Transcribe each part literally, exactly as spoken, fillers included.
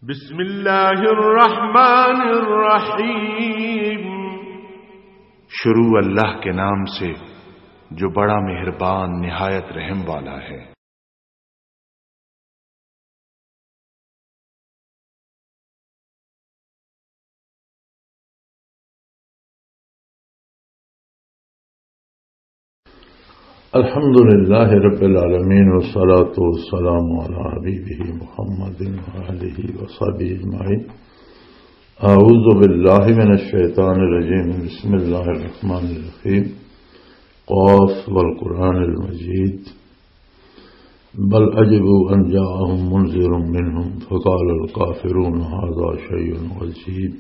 بسم اللہ الرحمن الرحیم۔ شروع اللہ کے نام سے، جو بڑا مہربان، نہایت رحم والا ہے۔ الحمد لله رب العالمين، والصلاة والسلام على حبيبه محمد وآله وصحبه أجمعين. أعوذ بالله من الشيطان الرجيم. بسم الله الرحمن الرحيم. قاف والقرآن المجيد. بل عجبوا أن جاءهم منذر منهم فقال الكافرون هذا شيء عجيب.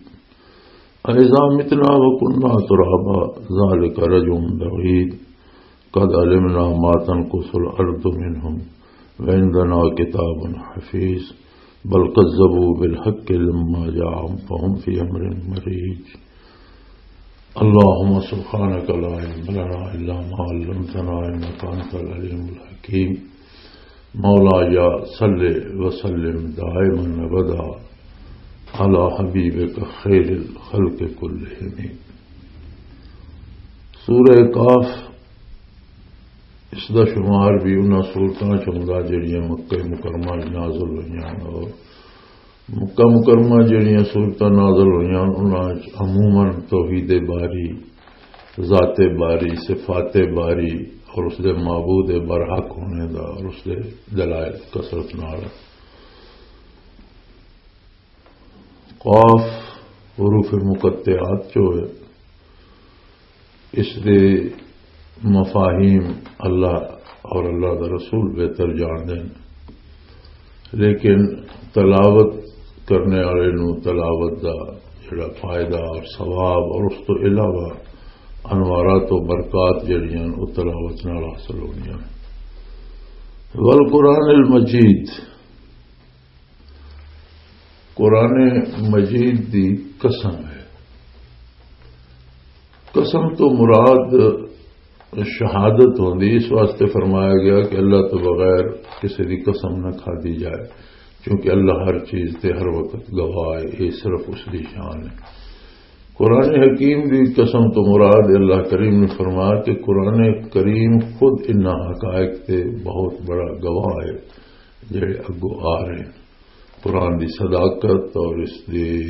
أإذا متنا وكنا ترابا ذلك رجع بعيد. قد علمنا ما تنقص الأرض منهم وعندنا كتاب حفيظ. بل كذبوا بالحق لما جاءهم فهم في أمر مريج. اللهم سبحانك لا علم لنا إلا ما علمتنا إنك أنت العليم الحكيم. مولاي صل وسلم دائما أبدا على حبيبك خير الخلق كلهم. سورہ قاف، اس دا شمار بھی انہاں سورتاں چ ہوندا جڑیاں مکہ مکرمہ وچ نازل ہوئیاں، اور مکہ مکرمہ جڑیاں سورتاں نازل ہوئیاں، انہاں وچ عموماً توحید باری، ذات باری، صفات باری اور اس دے معبود برحق ہونے دا اور اس دے دلائل کثرت نال۔ قاف حروف مقطعات جو ہے، اس دے مفاہیم اللہ اور اللہ دا رسول بہتر جان دے، لیکن تلاوت کرنے والے نو تلاوت دا جڑا فائدہ اور ثواب اور اس تو علاوہ انوارات و برکات جڑیاں او تلاوت نال حاصل ہونیاں۔ والقرآن المجید، قرآن مجید دی قسم ہے۔ قسم تو مراد شہادت ہوندی، اس واسطے فرمایا گیا کہ اللہ تو بغیر کسی دی قسم نہ کھادی جائے، کیونکہ اللہ ہر چیز تے ہر وقت گواہ ہے، یہ صرف اس دی شان ہے۔ قرآن حکیم دی قسم تو مراد، اللہ کریم نے فرمایا کہ قرآن کریم خود انہاں حقائق تے بہت بڑا گواہ ہے جڑے اگوں آ رہے ہیں۔ قرآن دی صداقت اور اس دی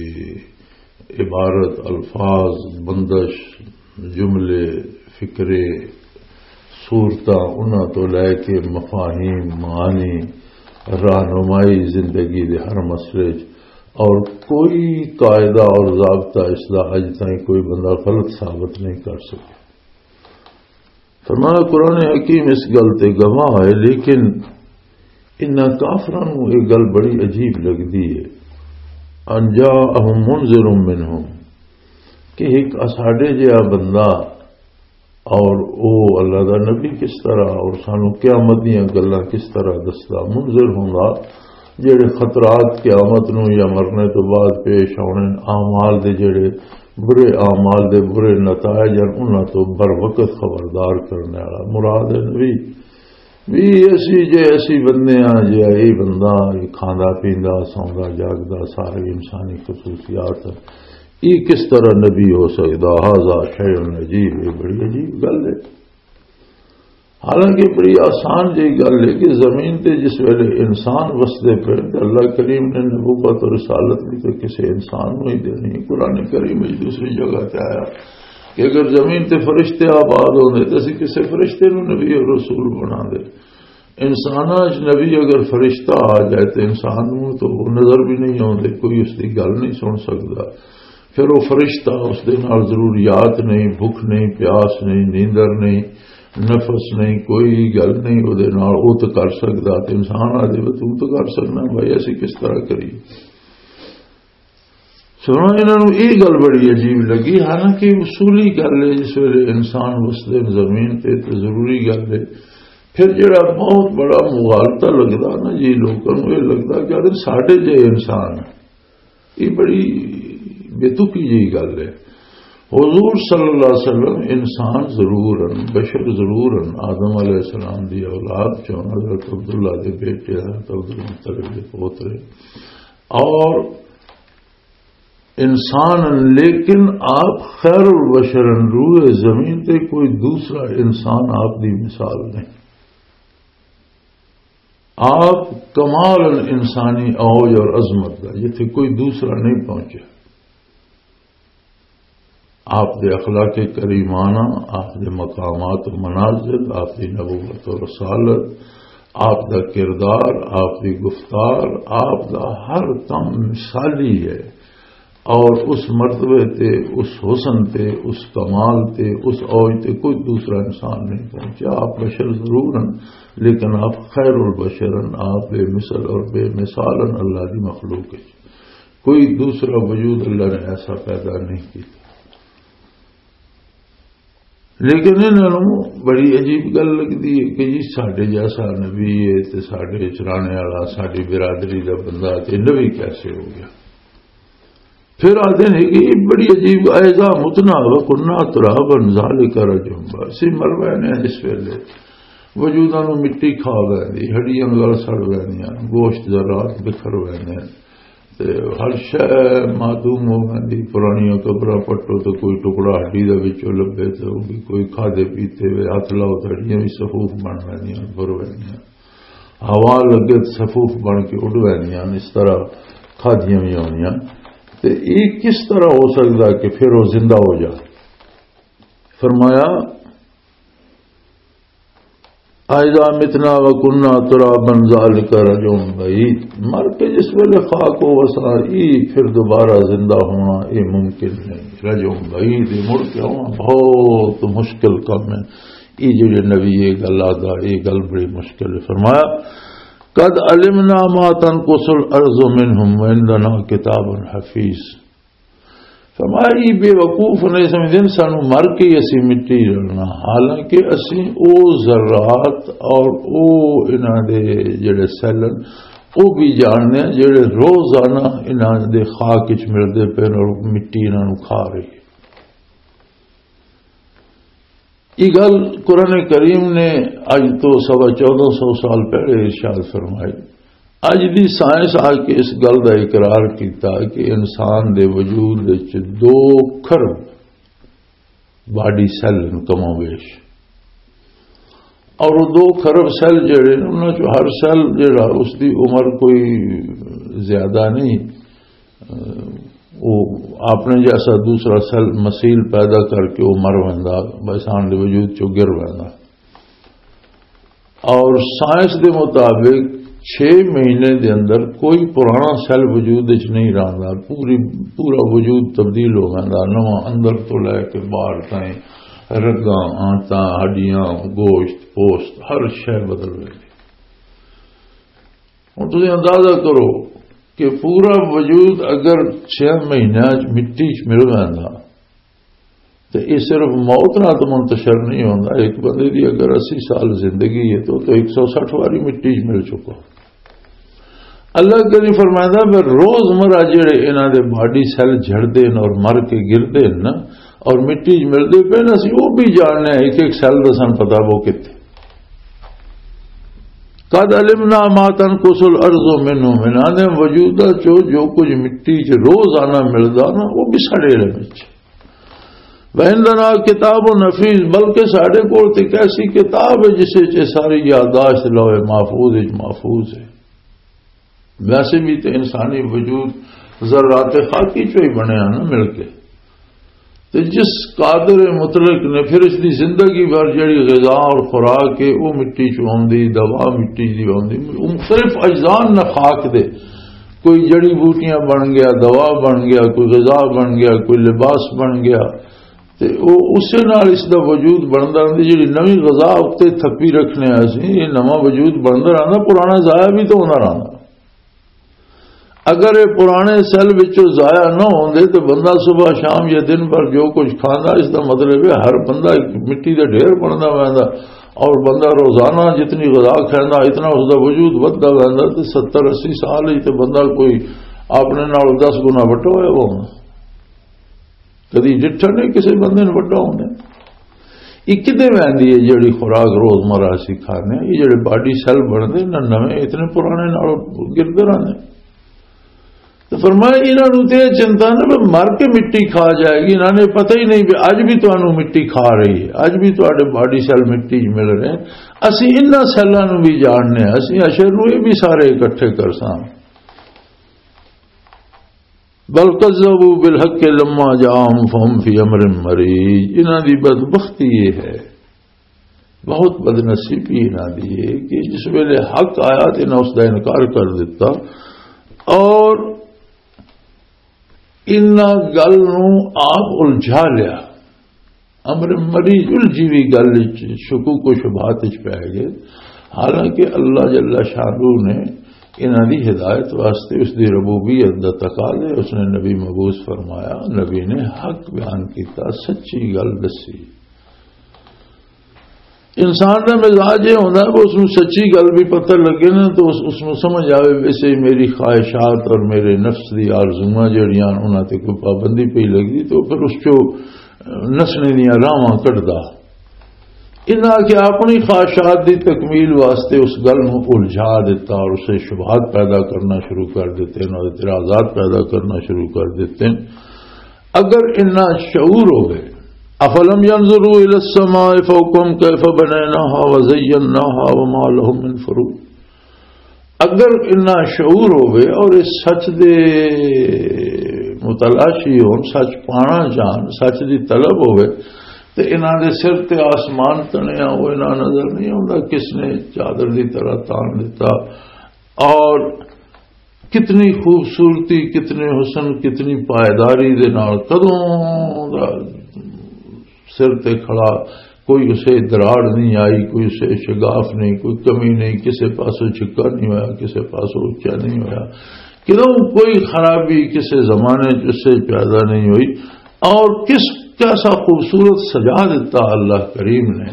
عبارت، الفاظ، بندش، جملے، فکرے، صورتاں، انہاں تو لے کے مفاہیم، معانی، رہنمائی زندگی دے ہر مسئلے 'چ، اور کوئی قاعدہ اور ضابطہ اس دا اج تائیں کوئی بندہ غلط ثابت نہیں کر سکیا۔ فرمایا، قرآن حکیم اس گل تے گواہ ہے، لیکن انہاں کافراں نوں یہ گل بڑی عجیب لگدی ہے۔ ان جاءہم منذر منہم، کہ ایک اساڈے جہا بندہ اور او اللہ دا نبی کس طرح، اور سانو قیامت دیاں گلاں کس طرح دسدا، منذر ہوندا، جڑے خطرات قیامت نو یا مرنے تو بعد پیش آنے، اعمال دے جڑے برے اعمال دے برے نتائج ہیں، انہاں تو بر وقت خبردار کرنے والا مراد ہے نبی۔ بھی ایسی جے ایسی بندے ہیں، جے اے بندہ، اے کھاندا پیندا، سوندا جاگدا، سارے انسانی خصوصیات ہیں۔ اے کس طرح نبی ہو سکدا؟ ھذا شیء عجیب، یہ بڑی عجیب گل ہے۔ حالانکہ بڑی آسان جہی گل ہے کہ زمین تے جس ویلے انسان وسدے پے تے اللہ کریم نے نبوت اور رسالت بھی تو کسی انسان نوں ہی دینی ہے۔ قرآن کریم وچ دوسری جگہ تے آیا کہ اگر زمین تے فرشتے آباد ہوندے تے اسی کسی فرشتے نوں نبی اور رسول بنا دے۔ انساناں وچ نبی اگر فرشتہ آ جائے تے انسان نوں تو وہ نظر بھی نہیں آوندے، کوئی اس دی گل نہیں سن سکدا۔ پھر وہ فرشتہ، اس دے نال ضروریات نہیں، بھوک نہیں، پیاس نہیں، نیندر نہیں، نفس نہیں، کوئی گل نہیں، وہ دے نال وہ تو کر سکدا۔ تے انسان آ جائے، تو تو کر سکنا بھائی، ایسی کس طرح کری؟ سنو، انہاں نوں یہ گل بڑی عجیب لگی، حالانکہ اصولی گل ہے، جس ویلے انسان وسدے زمین تے، تے ضروری گل ہے۔ پھر جڑا بہت بڑا مغالطہ لگدا نا جی، لوکاں نوں یہ لگدا کہ یار ساڈے جے انسان، یہ بڑی بے تکی جی گل ہے۔ حضور صلی اللہ علیہ وسلم انسان ضرور ہیں، بشر ضرور ہیں، آدم علیہ السلام دی اولاد چون، حضرت عبداللہ دے بیٹے، حضرت عبدالمطلب دے پوترے۔ اور انسان، لیکن آپ خیر البشر، روئے زمین تے کوئی دوسرا انسان آپ دی مثال نہیں۔ آپ کمال انسانی اوج اور عظمت دا، جتھے کوئی دوسرا نہیں پہنچا۔ آپ دے اخلاق کریمانہ، آپ دے مقامات و منازل، آپ دی نبوت و رسالت، آپ دا کردار، آپ دی گفتار، آپ دا ہر کم مثالی ہے۔ اور اس مرتبے تے، اس حسن تے، اس کمال تے، اس اوج تے کوئی دوسرا انسان نہیں پہنچا۔ آپ بشر ضرور ہیں، لیکن آپ خیر البشر ہیں، آپ بے مثل اور بے مثال ہیں اللہ دی مخلوق ہے۔ کوئی دوسرا وجود اللہ نے ایسا پیدا نہیں کیا۔ لیکن انہاں نوں بڑی عجیب گل لگدی ہے کہ جی، ساڈے جیسا نبی ہے تے ساڈے چرانے والا، ساڈی برادری دا بندہ تے نبی کیسے ہو گیا؟ پھر آدھے نے کہ یہ بڑی عجیب، "اَإِذَا مِتْنَا وَكُنَّا تُرَابًا ذَلِكَ رَجْعٌ بَعِيدٌ۔" اسی مر وینے ہیں جس ویلے، وجوداں نوں مٹی کھا ویندی، ہڈیاں گل سڑ ویندیاں، گوشت ذرات بکھر ویندے ہیں۔ تے ہر شے معدوم ہو ویندی۔ پرانیاں قبراں پٹو تے کوئی ٹکڑا ہڈی دے وچوں لبھے تے او بھی کوئی کھادے پیتے وے، ہتھ لاؤ تے ہڈیاں وی صفوف بن ویندیاں، بھر ویندیاں۔ ہوا لگے تے صفوف بن کے اڈ ویندیاں۔ اس طرح کھادیاں وی ہوندیاں۔ تے اے کس طرح ہو سکدا کہ پھر او زندہ ہو جائے؟ فرمایا، "اَإِذَا مِتْنَا وَكُنَّا تُرَابًا ذَلِكَ رَجْعٌ بَعِيدٌ۔" مر کے جس ویلے خاک ہو وسا، ای پھر دوبارہ زندہ ہونا، اے ممکن نہیں۔ رجعٌ بعید، اے مڑ کے آنا بہت مشکل کم ہے۔ اے جڑے نبی اے گل آدا، اے گل بڑی مشکل ہے۔ فرمایا، "قَدْ عَلِمْنَا مَا تَنْقُصُ الْأَرْضُ مِنْهُمْ وَعِنْدَنَا كِتَابٌ حَفِيظٌ۔" فرمایا، یہ بے وقوف نہیں سمجھدے، سانو مر کے ہی اسی مٹی رلنا، حالانکہ اسی او ذرات اور او انہاں دے جڑے سیل ہن، او بھی جاننے ہیں، جڑے روزانہ انہاں دے خاک وچ ملدے پے اور مٹی انہاں نوں کھا رہی ہے۔ یہ گل قرآن کریم نے اج تو سوا چودہ سو سال پہلے ارشاد فرمائی۔ اج دی سائنس آ کے اس گل دا اقرار کیتا کہ انسان دے وجود وچ دو کھرب باڈی سیل ہن کم و بیش، اور وہ دو کھرب سیل جڑے نے، انہاں چوں ہر سیل جڑا، اس دی عمر کوئی زیادہ نہیں، وہ اپنے جیسا دوسرا سیل مثیل پیدا کر کے وہ مر ویندا، انسان دے وجود چوں گر ویندا۔ اور سائنس دے مطابق چھ مہینے دے اندر کوئی پرانا سیل وجود وچ نہیں رہندا، پوری، پورا وجود تبدیل ہو ویندا، نواں اندر تو لے کے باہر تائیں، رگاں، آنتاں، ہڈیاں، گوشت، پوست، ہر شے بدل ویندی۔ ہن تسی اندازہ کرو کہ پورا وجود اگر چھ مہینیاں چ مٹی چ مل ویندا، تے یہ صرف موت نال تو منتشر نہیں ہوندا۔ ایک بندے دی اگر اسی سال زندگی ہے تو، تو ایک سو سٹھ واری مٹی چ مل چکا۔ اللہ کریم فرمائندا، "میں روزمرہ جڑے انہاں دے باڈی سیل جھڑدے نے اور مر کے گردے نے نا، اور مٹی چ ملدے پے نے، اسی وہ بھی جاننے ہیں، ایک ایک سیل دا سن پتا وہ کتنے۔" "قد علمنا ما تنقص الارض منهم، انہاں دے وجود چو جو کچھ مٹی چ روزانہ ملدا نا، وہ بھی ساڈے علم وچ۔" "وعندنا کتاب حفیظ"، بلکہ ساڈے کول تے ایک ایسی کتاب ہے جس وچ یہ ساری یادداشت لوح محفوظ وچ محفوظ ہے۔ ویسے بھی تے انسانی وجود ذرات خاکی چوں ہی بنیا نا مل کے۔ تے جس قادر مطلق نے پھر اس دی زندگی بھر جڑی غذا اور خوراک ہے، وہ مٹی چوں آندی، دوا مٹی دی آندی، وہ مختلف اجزاء نے خاک دے، کوئی جڑی بوٹیاں بن گیا، دوا بن گیا، کوئی غذا بن گیا، کوئی لباس بن گیا۔ تے او اسے نال اس دا وجود بندا رہندا، جڑی نویں غذا اُتے تھپی رکھنے آ سی، یہ نواں وجود بندا رہندا، پرانا ضائع بھی تو ہوندا رہندا۔ اگر یہ پرانے سیل وچوں ضائع نہ ہوندے تے بندہ صبح شام یا دن بھر جو کچھ کھاندا، اس دا مطلب ہے ہر بندہ ایک مٹی دا ڈھیر بندا ویندا، اور بندہ روزانہ جتنی غذا کھاندا، اتنا اس دا وجود ودھدا ویندا، تے ستر اسی سال ہی تے بندہ کوئی اپنے نال دس گنا وڈا ہویا ہوندا۔ کدی ڈٹھا نہیں کسی بندے نے وڈا ہوندے۔ یہ کدے ویندی ہے جڑی خوراک روزمرہ اسی کھانے، یہ جڑے باڈی سیل بنتے نہ نویں، اتنے پرانے نال گردے رہندے۔ تو فرمایا، انہاں نوں تے یہ چنتا نہ بھی مر کے مٹی کھا جائے گی، انہاں نے پتہ ہی نہیں بھی اج بھی تانوں مٹی کھا رہی ہے، اج بھی تہاڈے باڈی سیل مٹی 'چ مل رہے ہیں۔ اسی انہاں سیلاں نوں بھی جاننے ہیں، اسی حشر نوں یہ بھی سارے اکٹھے کرساں۔ بل کذبوا بالحق لما جاءهم فهم في امر مريج۔ انہاں دی بدبختی یہ ہے، بہت بدنصیبی انہاں دی ہے کہ جس ویلے حق آیا تے انہاں اس دا انکار کر دیتا، اور انہاں گل نوں آپ الجھا لیا۔ امر مریض الجھی ہوئی گل وچ، شکوک و شبہات وچ پے گئے۔ حالانکہ اللہ جل شانہ نے انہاں دی ہدایت واسطے اس دی ربوبیت دا تقاضا ہے، اس نے نبی مبعوث فرمایا، نبی نے حق بیان کیتا، سچی گل دسی۔ انسان دا مزاج یہ ہوتا ہے کہ اس نوں سچی گل بھی پتہ لگے نا، تو اس، اس نوں سمجھ آوے، ویسے ہی میری خواہشات اور میرے نفس دی آرزوئاں جڑیاں، انہاں تے کوئی پابندی پئی لگدی، تو پھر اس چوں نسنے دیاں راہواں کڈدا۔ انہاں کہ اپنی خواہشات دی تکمیل واسطے اس گل نوں الجھا دیتا اور اسے شبہات پیدا کرنا شروع کر دیتے ہیں اور اعتراضات پیدا کرنا شروع کر دیتے ہیں۔ اگر انہاں شعور ہوئے، افلم ينظروا الى السماء فوقهم كيف بنيناها وزيناها وما لهم من فروج۔ اگر انہاں شعور ہوئے اور اس سچ دے متلاشی ہون، سچ پانا چاہن، سچ دی طلب ہوئے، تے انہاں دے سر تے آسمان تنیا وہ انہاں نظر نہیں آتا؟ کس نے چادر دی طرح تان دیتا؟ اور کتنی خوبصورتی، کتنے حسن، کتنی پائیداری دے نال کدوں دا سر تے کھڑا، کوئی اسے دراڑ نہیں آئی، کوئی اسے شگاف نہیں، کوئی کمی نہیں، کسے پاسوں چھکا نہیں ہویا، کسے پاسوں اچا نہیں ہویا، کدوں کوئی خرابی کسے زمانے چ اس سے پیدا نہیں ہوئی۔ اور کس، کیسا خوبصورت سجا دیتا اللہ کریم نے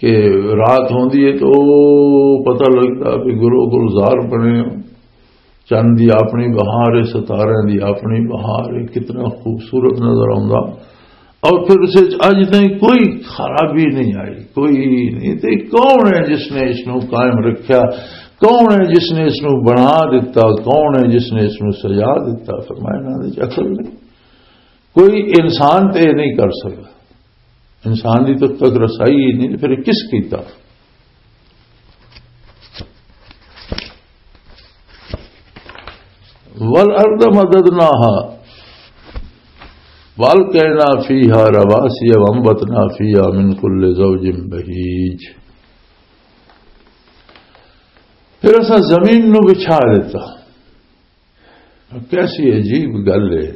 کہ رات ہوندی ہے تو پتہ لگدا بھی گلو گلزار بنے، چند دی اپنی بہار ہے، ستارے دی اپنی بہار ہے، کتنا خوبصورت نظر آندا۔ اور پھر اسے اج تائیں کوئی خرابی نہیں آئی، کوئی نہیں۔ تے کون ہے جس نے اس نو قائم رکھیا؟ کون ہے جس نے اس نو بنا دیتا؟ کون ہے جس نے اس نو سجا دیتا؟ فرمایا، انہاں دے عقل نہیں، کوئی انسان تے نہیں کر سکتا۔ انسان دی تو تک رسائی ہی نہیں، پھر کس کیتا؟ والارض مددناها والقینا فیها رواسی وانبتنا فیها من کل زوج بهیج۔ پھر اساں زمین نو بچھا دیتا۔ کیسی عجیب گل ہے۔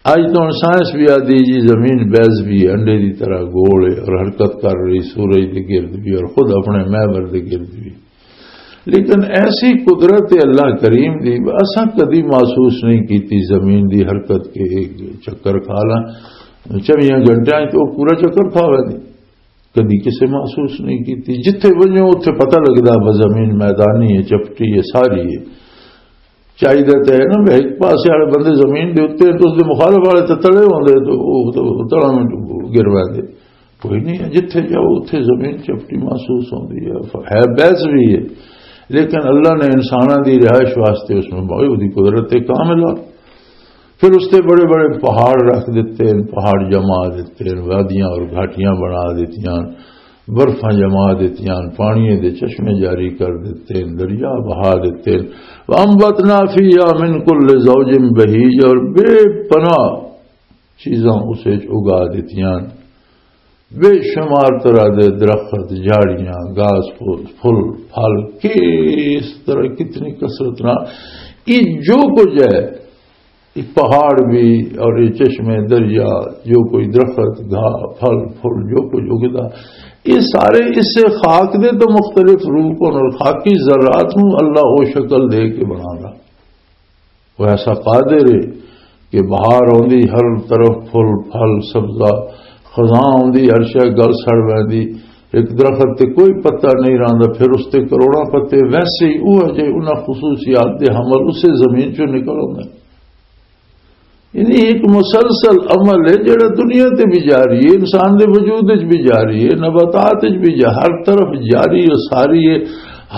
اج تو ہن سائنس بھی آدھی جی زمین بیض بھی ہے، انڈے دی طرح گول ہے اور حرکت کر رہی، سورج دے گرد بھی اور خود اپنے محور دے گرد بھی۔ لیکن ایسی قدرت اللہ کریم دی اساں کدی محسوس نہیں کیتی۔ زمین دی حرکت کے ایک چکر کھا لاں، چویاں گھنٹیاں تو پورا چکر کھا ویندی۔ کدی کسے محسوس نہیں کیتی۔ جتھے ونجو اتھے پتہ لگدا بس زمین میدانی ہے، چپٹی ہے، ساری ہے۔ چاہیدا تے ہے نا بھی ایک پاسے والے بندے زمین دے اوتے ہیں تو اس دے مخالف والے تے تلے ہوندے، تو او تے تلاں وچ گر ویندے۔ کوئی نہیں ہے، جتھے جاؤ اتھے زمین چپٹی محسوس ہوندی ہے، ہے بیض بھی ہے، لیکن اللہ نے انساناں دی رہائش واسطے اس میں بڑی قدرت کاملہ۔ پھر اس تے بڑے بڑے پہاڑ رکھ دیتے ہیں، پہاڑ جما دیتے ہیں، وادیاں اور گھاٹیاں بنا دیتیاں، برفاں جما دیتیاں، پانی دے چشمے جاری کر دیتے ہیں، دریا بہا دیتے ہیں۔ وَأَنبَتْنَا فِيهَا مِن كُلِّ زَوْجٍ بَهِيجٍ، اور بے پناہ چیزاں اسے اگا دیتیاں۔ بے شمار طرح دے درخت، جھاڑیاں، گھاس پھوس، پھل، پھل، کس طرح، کتنی کثرت نال یہ جو کچھ ہے، یہ پہاڑ بھی اور یہ چشمے، دریا، جو کوئی درخت، گھا، پھل، پھل، جو کچھ اگدا، یہ سارے اس سے خاک دے تو مختلف روپ ہن اور خاکی ذرات نو اللہ او شکل دے کے بنانا۔ وہ ایسا قادر ہے کہ بہار آندی، ہر طرف پھل، پھل، سبزہ، خزاں آندی، ہر شے گل سڑ ویندی، ایک درخت تے کوئی پتہ نہیں رہندا، پھر اس تے کروڑاں پتے۔ ویسے ہی وہ جے انہاں خصوصیات دے حمل اسے زمین چوں نکل آندے۔ یعنی ایک مسلسل عمل ہے جڑا دنیا تے بھی جاری ہے، انسان دے وجود وچ بھی جاری ہے، نباتات وچ بھی جا-، ہر طرف جاری اور ساری ہے۔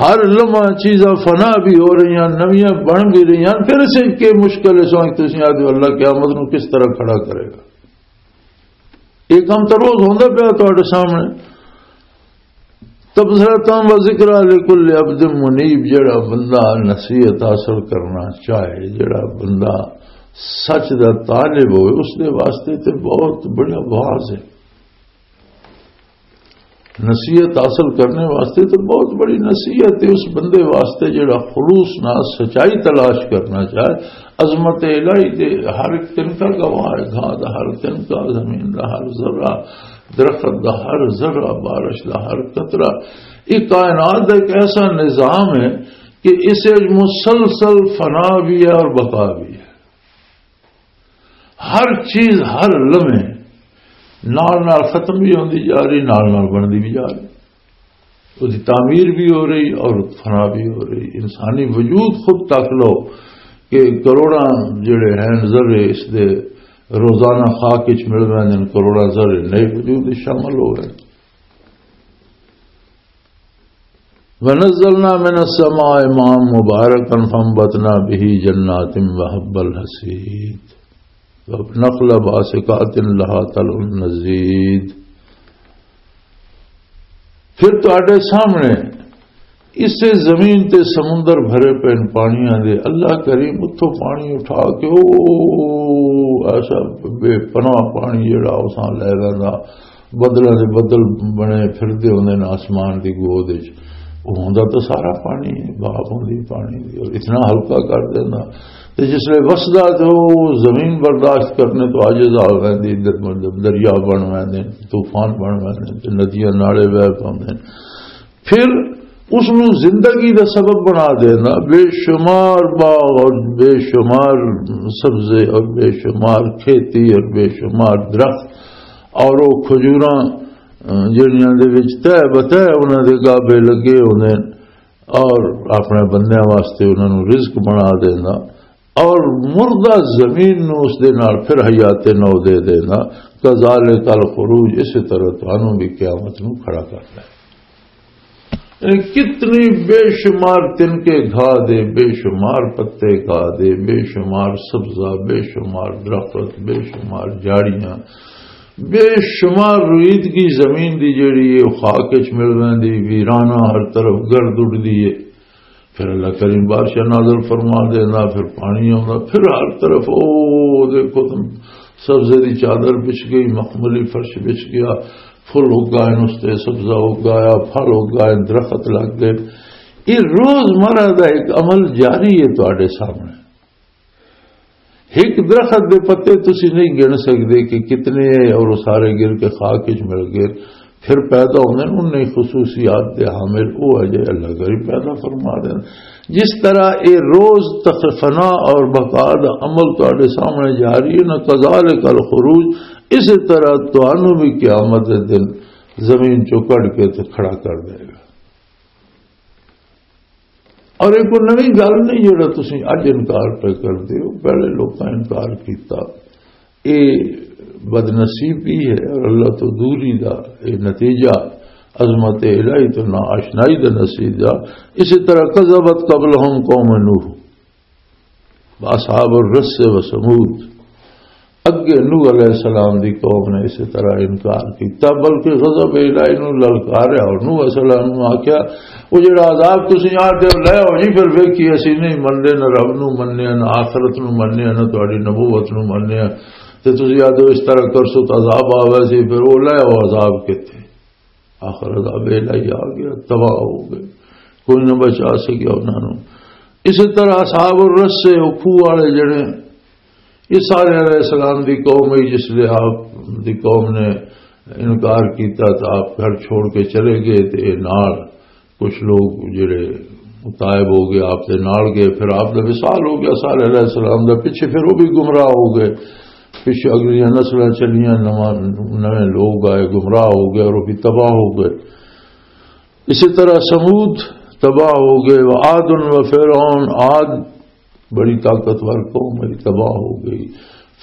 ہر لمحہ چیزاں فنا بھی ہو رہی ہیں، نویاں بن بھی رہی ہیں۔ پھر اسے کے مشکل ہے سوچ، تسی آدھے اللہ قیامت نو کس طرح کھڑا کرے گا؟ یہ کام تو روز ہوندا پیا تہاڈے سامنے۔ تبصرہ و ذکر لکل عبد منیب، جڑا بندہ نصیحت حاصل کرنا چاہے، جڑا بندہ سچ دا طالب ہوئے، اس دے واسطے تے بہت بڑا واز ہے۔ نصیحت حاصل کرنے واسطے تو بہت بڑی نصیحت ہے اس بندے واسطے جڑا خلوص نال سچائی تلاش کرنا چاہے۔ عظمت الہی دے ہر ایک تنکا گواہ ہے، گھاہ دا ہر تنکا، زمین دا ہر ذرہ، درخت دا ہر ذرہ، بارش دا ہر قطرہ۔ یہ کائنات دا ایک ایسا نظام ہے کہ اسے مسلسل فنا بھی ہے اور بقا بھی ہے۔ ہر چیز، ہر لمحے نال نال ختم بھی ہوندی جا رہی، نال نال بندی بھی جا رہی، اس دی تعمیر بھی ہو رہی اور فنا بھی ہو رہی۔ انسانی وجود خود تک لو کہ کروڑاں جڑے ہیں ذرے اس دے روزانہ خاک وچ مل رہے ہیں، کروڑاں ذرے نئے وجود وچ شامل ہو رہے ہیں۔ ونزلنا من السماء ماء مباركا فانبتنا به جنات وحب الحصيد ونخلا باسقات لها طلع نضيد۔ پھر تہاڈے سامنے اسے زمین تے سمندر بھرے پے نے پانیاں دے۔ اللہ کریم اتھوں پانی اٹھا کے، او ایسا بے پناہ پانی جڑا اساں لے رہا، بدلاں دے بدل بنے پھردے ہوندے نے آسمان دی گود وچ۔ او ہوندا تاں سارا پانی ہے، بھاپ ہوندی پانی دی، اور اتنا ہلکا کر دیندا۔ تے جس لے وسدا تے او زمین برداشت کرنے تو عاجز آ ویندی، در-، مطلب دریا بن ویندے، طوفان بن ویندے، تے ندیاں نالے وہہ پوندے۔ پھر اس نوں زندگی دا سبب بنا دینا، بے شمار باغ اور بے شمار سبزے اور بے شمار کھیتی اور بے شمار درخت اور وہ کھجوراں، اہ، جڑیاں دے وچ تہ بتہ انہاں دے گابے لگے ہوندے نے اور اپنے بندیاں واسطے انہاں نوں رزق بنا دینا اور مردہ زمین نوں اس دے نال پھر حیات نو دے دینا۔ کذالک الخروج، اسی طرح تانوں بھی قیامت نوں کھڑا کرنا ہے۔ یعنی کتنی بے شمار تنکے گھا دے، بے شمار پتے گھا دے، بے شمار سبزہ، بے شمار درخت، بے شمار جھاڑیاں، بے شمار رویدگی زمین دی جیڑی ہے، خاک وچ مل ویندی، ویرانہ ہر طرف گرد اڈدی ہے۔ پھر اللہ کریم بارشاں نازل فرما دینا، پھر پانی آوندا، پھر ہر طرف او دیکھو تم سبزے دی چادر بچھ گئی، مخملی فرش بچھ گیا، پھل اگائے، اس تے سبزہ اگایا، پھل اگائے، درخت لگ گئے۔ یہ روزمرہ دا ایک عمل جاری ہے تہاڈے سامنے۔ ایک درخت دے پتے تسی نہیں گن سکدے کہ کتنے ہیں، اور وہ سارے گر کے خاک وچ مل گئے، پھر پیدا ہوندے نے۔ انہیں خصوصیات دے حامل وہ ہے جے اللہ کریم پیدا فرما دے۔ جس طرح اے روز تخ-، فنا اور بقا دا عمل تہاڈے سامنے جاری ہے نا، کذالک الخروج، اسی طرح تانوں بھی قیامت دے دن زمین چوں کڈ کے تے کھڑا کر دے گا۔ اور یہ کوئی نوی گل نہیں جڑا تسی اج انکار پہ کردے ہو، پہلے لوکاں انکار کیتا۔ یہ بدنصیبی ہے اور اللہ تو دوری دا یہ نتیجہ، عظمت الہی تو نہ آشنائی دا نتیجہ۔ اسی طرح کذبت قبلہم قوم نوح، اصحاب الرس و ثمود، اگے نوح علیہ السلام دی قوم نے اسی طرح انکار کیتا، بلکہ غضب الہی نو للکاریا اور نوح علیہ السلام نو آکھیا، "او جڑا عذاب تسی آ دے لے آؤ جی، پھر ویکھی اسی نہیں مننے، نہ رب نو مننے، نہ آخرت نو مننے، نہ تہاڈی نبوت نو مننے، تے تسی آ دے اس طرح کرسو تے عذاب آوے سی، پھر او لے آؤ عذاب کتے۔" آخر عذاب الہی آ گیا، تباہ ہو گئے، کوئی نہ بچا سکیا انہاں نوں۔ اسی طرح اصحاب الرس سے، او کھوہ والے جڑے، یہ سارے علیہ السلام دی قوم ہی، جس لے آپ دی قوم نے انکار کیتا تو آپ گھر چھوڑ کے چلے گئے، تے نال کچھ لوگ جڑے تائب ہو گئے، آپ دے نال گئے، پھر آپ دا وصال ہو گیا سارے علیہ السلام دا، پیچھے پھر وہ بھی گمراہ ہو گئے۔ پچھے اگلیاں نسلاں چلیاں، نواں، نویں لوگ آئے، گمراہ ہو گئے اور وہ بھی تباہ ہو گئے۔ اسی طرح ثمود تباہ ہو گئے، وعاد و فرعون، عاد بڑی طاقتور قوم ہے، تباہ ہو گئی۔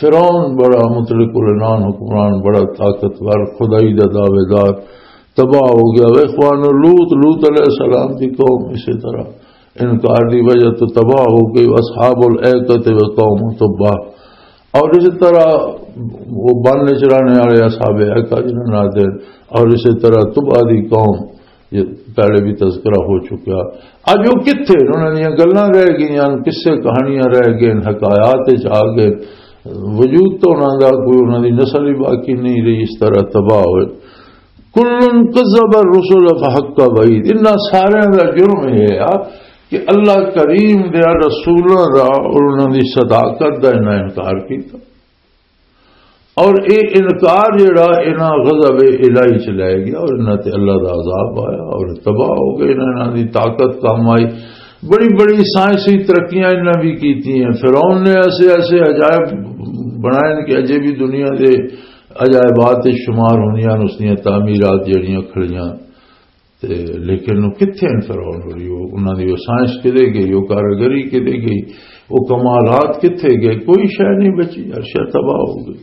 فرعون بڑا مطلق العنان حکمران، بڑا طاقتور خدائی دا دعوے دار، تباہ ہو گیا۔ وہ اخوان لوط، لوط علیہ السلام کی قوم اسی طرح انکار دی وجہ تو تباہ ہو گئی۔ اصحاب الایکہ تے وہ قوم تباہ۔ اور اسی طرح وہ بن چرانے والے اصحاب ایکہ جنہاں نہ دے، اور اسی طرح تباہ دی قوم، یہ پہلے بھی تذکرہ ہو چکا۔ اج وہ کتھے نے؟ انہاں دیاں گلاں رہ گئیاں، قصے کہانیاں رہ گئے، حکایات وچ آ گئے۔ وجود تو انہاں دا کوئی، انہاں دی نسل ہی باقی نہیں رہی، اس طرح تباہ ہوئے۔ کل کذب الرسل فحق وعید۔ انہاں سارے دا جرم یہ ہے کہ اللہ کریم دے رسولاں دا اور انہاں دی صداقت دا انہاں انکار کیتا۔ اور اے انکار جڑا انہاں غضب الہی چ لے گیا اور انہاں تے اللہ دا عذاب آیا اور تباہ ہو گئے، انہاں دی طاقت کم آئی۔ بڑی بڑی سائنسی ترقیاں انہاں بھی کیتی ہیں۔ فرعون نے ایسے ایسے عجائب بنائے کہ اجے بھی دنیا دے عجائبات وچ شمار ہوندیاں نے اس دیاں تعمیرات جڑیاں کھڑیاں۔ تے لیکن وہ کتھے ہیں فرعون ہوری؟ وہ انہاں دی وہ سائنس کدے گئی؟ وہ کاریگری کدے گئی؟ وہ کمالات کتھے گئے؟ کوئی شے نہیں بچی، ہر شے تباہ ہو گئی۔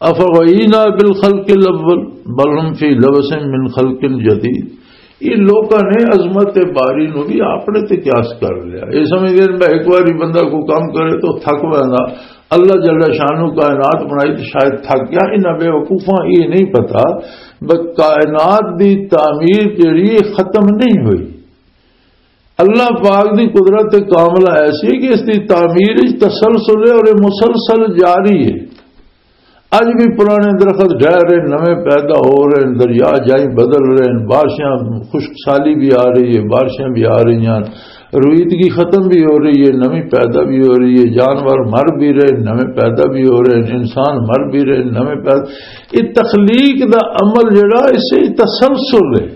افغینا بالخلق الاول بل هم فی لبس من خلق جدید۔ یہ لوکاں نے عظمت باری نو بھی اپنے تے قیاس کر لیا۔ یہ سمجھدے نے میں ایک باری بندہ کو کام کرے تو تھک ویندا۔ اللہ جل شانو کائنات بنائی تو شاید تھک گیا۔ انہاں بے وقوفاں یہ نہیں پتا بس کائنات دی تعمیر جڑی ہے ختم نہیں ہوئی۔ اللہ پاک دی قدرت کاملہ ایسی ہے کہ اس دی تعمیر وچ تسلسل ہے اور یہ مسلسل جاری ہے۔ اج بھی پرانے درخت ڈھہ رہے، نویں پیدا ہو رہے ہیں، دریا جائی بدل رہے ہیں، بارشاں خشک سالی بھی آ رہی ہے، بارشاں بھی آ رہی ہیں، رویدگی ختم بھی ہو رہی ہے، نویں پیدا بھی ہو رہی ہے، جانور مر بھی رہے ہیں، نویں پیدا بھی ہو رہے ہیں، انسان مر بھی رہے ہیں، نویں پیدا۔ یہ تخلیق دا عمل جڑا اسے تسلسل ہے۔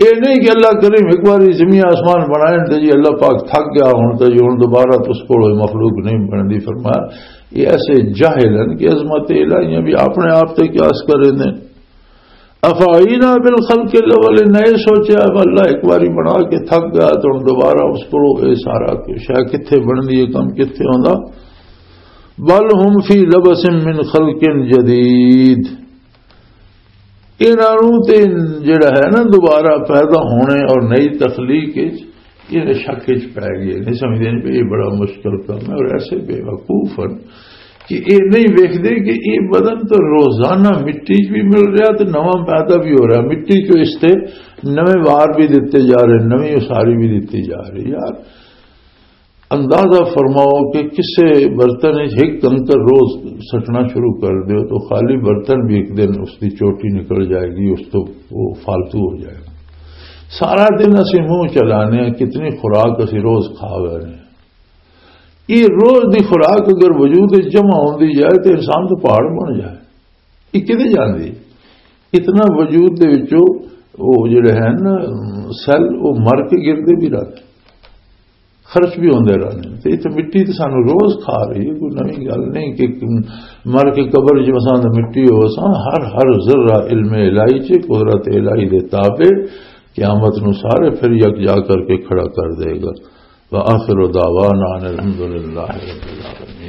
یہ نہیں کہ اللہ کریم ایک بار زمین آسمان بنائے تے جی اللہ پاک تھک گیا، ہن تے جی ہن دوبارہ اس کول مخلوق نہیں بندی۔ فرمایا یہ ایسے جاہل ہیں کہ عظمت الہیاں بھی اپنے آپ تے قیاس کریں دے۔ افعینا بالخلق الاول، نئے سوچیا اب اللہ ایک باری بنا کے تھک گیا تو ہن دوبارہ اس کول یہ سارا شے کتھے بندی ہے، کم کتھے ہوندا۔ بل هم فی لبس من خلق جدید۔ انہاں نوں تے جڑا ہے نا دوبارہ پیدا ہونے اور نئی تخلیق وچ، یہ شک وچ پے گئے، نہیں سمجھدے بھی یہ بڑا مشکل کام ہے۔ اور ایسے بے وقوف ہیں کہ یہ نہیں ویکھدے کہ یہ بدن تو روزانہ مٹی چ بھی مل رہا تے نواں پیدا بھی ہو رہا، مٹی چ اس تے نویں وار بھی دتے جا رہے، نویں اساری بھی دتی جا رہی۔ یار، اندازہ فرماؤ کہ کسے برتن وچ ایک کنکر روز سٹنا شروع کر دیو تو خالی برتن بھی ایک دن اس دی چوٹی نکل جائے گی، اس تو وہ فالتو ہو جائے گا۔ سارا دن اسی منہ چلانے ہیں، کتنی خوراک اسی روز کھا رہے ہیں۔ یہ روز دی خوراک اگر وجود وچ جمع ہوندی جائے تو انسان تو پہاڑ بن جائے۔ یہ کدے جاندی؟ اتنا وجود دے وچوں وہ جڑے ہیں نا سیل، وہ مر کے گردے بھی رہتے، خرچ بھی ہوندے رہنے۔ تے اتنے مٹی تے سانو روز کھا رہی ہے، کوئی نویں گل نہیں کہ مر کے قبر جو اساں دا مٹی ہو ساں، ہر ہر ذرہ علم الہی چ، قدرت الہی دے تابع، قیامت نو سارے پھر یک جا کر کے کھڑا کر دے گا۔ وآخر دعوانا ان الحمد للہ رب العالمین۔